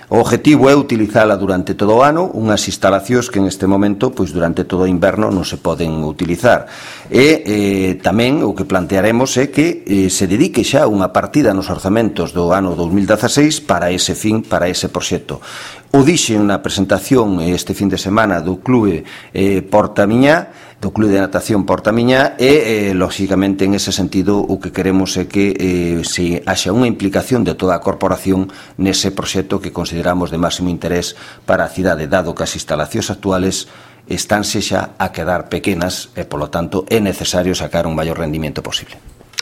O objetivo é utilizala durante todo o ano, unhas instalacións que neste momento, pois durante todo o inverno non se poden utilizar. E tamén o que plantearemos é que se dedique xa unha partida nos orzamentos do ano 2016 para ese fin, para ese proxecto. O dixen na presentación este fin de semana do Clube Portamiñá, do Clube de Natación Portamiñá, e, lóxicamente, en ese sentido, o que queremos é que se haxa unha implicación de toda a corporación nese proxecto que consideramos de máximo interés para a cidade, dado que as instalacións actuales estánse xa a quedar pequenas e, polo tanto, é necesario sacar un maior rendimento posible.